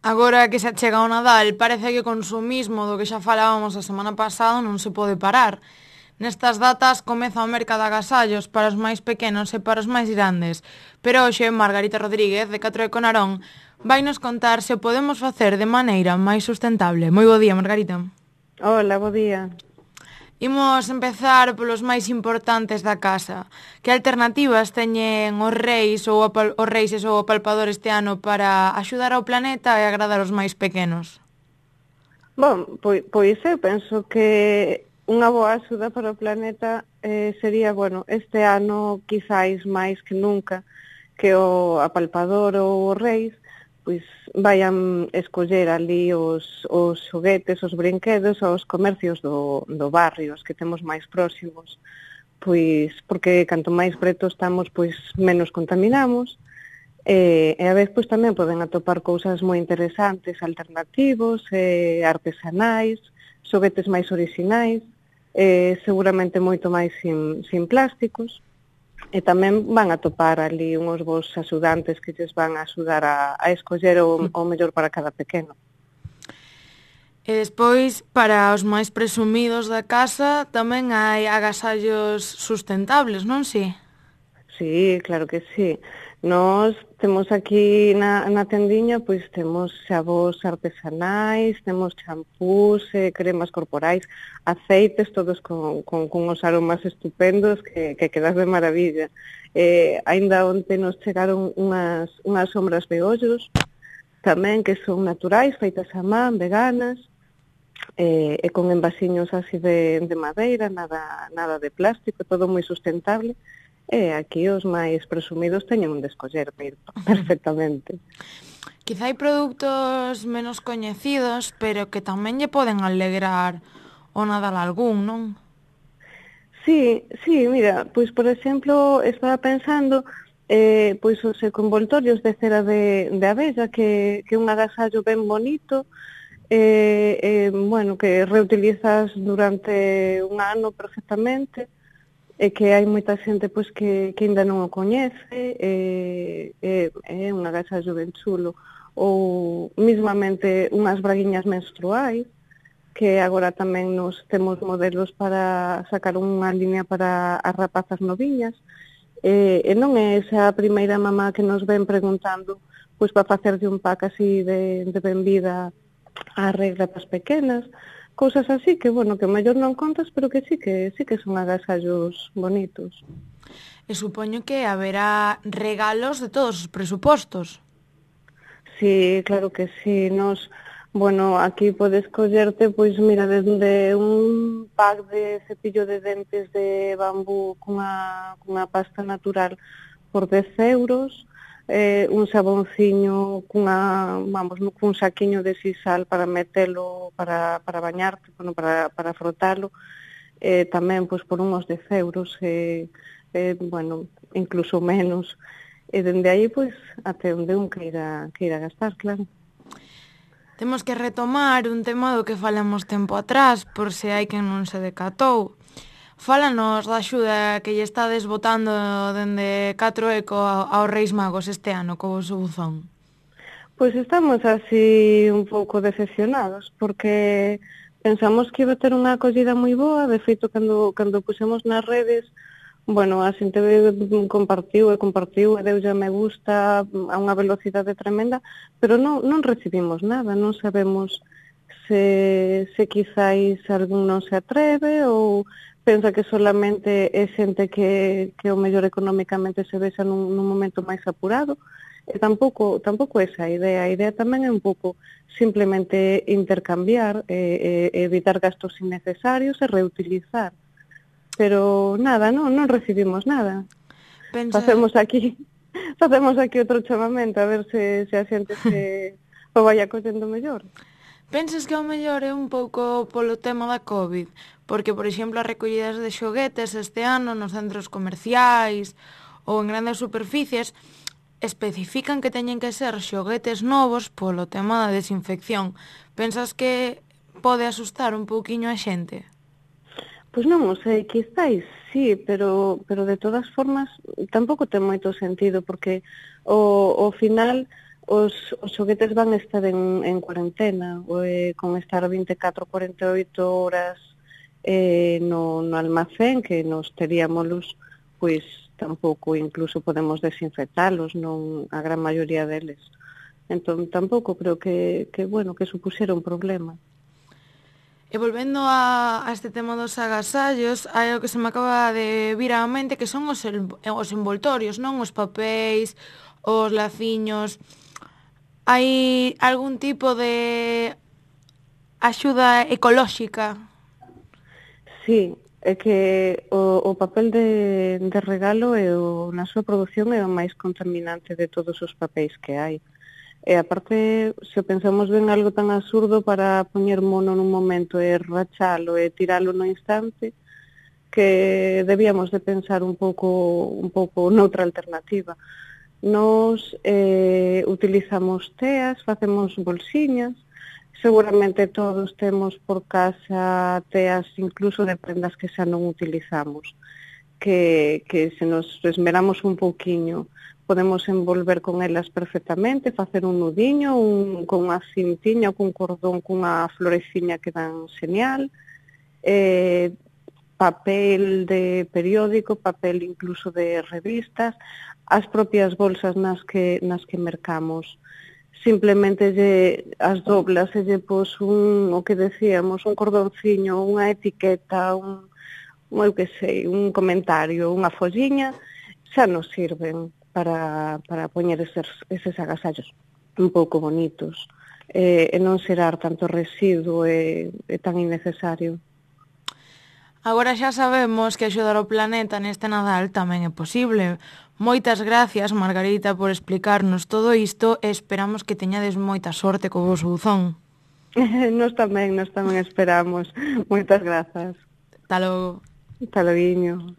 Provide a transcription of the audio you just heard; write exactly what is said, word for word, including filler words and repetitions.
Agora que se achega o Nadal, parece que o consumismo do que xa falábamos a semana pasada non se pode parar. Nestas datas comeza o mercado de agasallos para os máis pequenos e para os máis grandes. Pero hoxe Margarita Rodríguez, de Catro de Conarón, vai nos contar se o podemos facer de maneira máis sustentable. Moi bo día, Margarita. Hola, bo día. Imos empezar polos máis importantes da casa. Que alternativas teñen os reis ou apal- os reises ou o palpador este ano para axudar ao planeta e agradar aos máis pequenos? Bom, pois, pois eu penso que unha boa axuda para o planeta eh, sería, bueno, este ano quizáis máis que nunca que o apalpador ou os reis pois vayan escoller ali os, os xoguetes, os brinquedos aos comercios do, do barrio, os que temos máis próximos, pois porque canto máis preto estamos, pois menos contaminamos. E, e a vez pois tamén poden atopar cousas moi interesantes, alternativos, eh, artesanais, xoguetes máis orixinais, eh, seguramente moito máis sin, sin plásticos, e tamén van a topar ali unhos bons axudantes que lles van a axudar a, a escoller o, o mellor para cada pequeno. E despois, para os máis presumidos da casa, tamén hai agasallos sustentables, non si? Sí, claro que sí. Nós temos aquí na, na tendiña, pois temos xabós artesanais, temos champús, eh, cremas corporais, aceites, todos con, con, con os aromas estupendos que, que quedas de maravilla. Eh, ainda onte nos chegaron unhas, unhas sombras de ollos, tamén que son naturais, feitas a man, veganas, eh, e con envasiños así de, de madeira, nada, nada de plástico, todo moi sustentable. E aquí os máis presumidos teñen un de escoller perfectamente. Quizá hai produtos menos coñecidos, pero que tamén lle poden alegrar o Nadal a algún, non? Sí, sí, mira, pois por exemplo, estaba pensando eh, pois os ecoenvoltorios de cera de, de abella, que, que un agasallo ben bonito, eh, eh, bueno, que reutilizas durante un ano perfectamente, e que hai moita xente pois que, que ainda non o coñece, é, é, é un agasallo ben chulo, ou mismamente unhas braguiñas menstruais, que agora tamén nos temos modelos para sacar unha línea para as rapazas noviñas, e, e non é esa a primeira mamá que nos ven preguntando pois para facerlle un pack así de, de benvida á regla das pequenas, cousas así que, bueno, que mellor non contas, pero que sí que sí que son agasallos bonitos. E supoño que haberá regalos de todos os presupostos. Sí, claro que sí, nos, bueno, aquí podes collerte, pois mira, desde un pack de cepillo de dentes de bambú cunha, cunha pasta natural por dez euros, eh, un sabonciño cunha, vamos, cun saquiño de sisal para metelo, para, para bañarte, bueno, para, para frotalo, eh, tamén pois por unhos dez euros, eh, eh, bueno, incluso menos, e dende aí pois até onde un queira, queira gastar, claro. Temos que retomar un tema do que falamos tempo atrás, por se hai quen non se decatou. Fálanos da axuda que lle estades botando dende Catro Eco aos Reis Magos este ano co vosso buzón. Pois estamos así un pouco decepcionados, porque pensamos que iba a ter unha acollida moi boa, de feito, cando, cando pusemos nas redes, bueno, a xente compartiu e compartiu e deu a me gusta a unha velocidade tremenda, pero non, non recibimos nada, non sabemos se, se quizáis algún non se atreve ou pensa que solamente é xente que, que o mellor económicamente se vexa nun, nun momento máis apurado. E tampouco, tampouco esa a idea. A idea tamén é un pouco simplemente intercambiar, e, e evitar gastos innecesarios e reutilizar. Pero nada, non, non recibimos nada. Pensa... Facemos aquí facemos aquí outro chamamento a ver se, se a xente se o vai acollendo mellor. Pensas que ao mellor é un pouco polo tema da COVID? Porque, por exemplo, as recollidas de xoguetes este ano nos centros comerciais ou en grandes superficies especifican que teñen que ser xoguetes novos polo tema da desinfección. Pensas que pode asustar un pouquiño a xente? Pois non o sei, quizáis sí, pero, pero de todas formas tampouco ten moito sentido, porque o, o final os, os xoguetes van estar en, en cuarentena, ou, eh, con estar vinte e catro a cuarenta e oito horas eh, no, no almacén, que nos teríamos, pois tampouco incluso podemos desinfectalos, non a gran maioría deles. Entón tampouco creo que, que bueno, que supuxera un problema. E volvendo a, a este tema dos agasallos, hai o que se me acaba de vir á mente que son os, el, os envoltorios, non? Os papéis, os laciños. Hai algún tipo de axuda ecolóxica? Sí, é que o, o papel de, de regalo é o, na súa produción é o máis contaminante de todos os papéis que hai. E aparte, se pensamos ben algo tan absurdo para poñer mono nun momento e rachalo e tiralo no instante, que debíamos de pensar un pouco un pouco noutra alternativa. Nos eh, utilizamos teas, facemos bolsiñas, seguramente todos temos por casa teas incluso de prendas que xa non utilizamos, que, que se nos esmeramos un pouquiño podemos envolver con elas perfectamente, facer un nudiño, un, con unha cintiña ou cun cordón cunha floreciña que dan genial, eh, papel de periódico, papel incluso de revistas, as propias bolsas nas que, nas que mercamos. Simplemente lle, as doblas e lle pos un, o que decíamos, un cordonciño, unha etiqueta, un, un eu que sei, un comentario, unha folliña, xa nos sirven para, para poñer eses, eses agasallos un pouco bonitos e, e non xerar tanto residuo e, e tan innecesario. Agora xa sabemos que axudar o planeta neste Nadal tamén é posible. Moitas gracias, Margarita, por explicarnos todo isto e esperamos que teñades moita sorte co voso buzón. Nos tamén, nos tamén esperamos. Moitas grazas. Ata logo. Ata loguiño.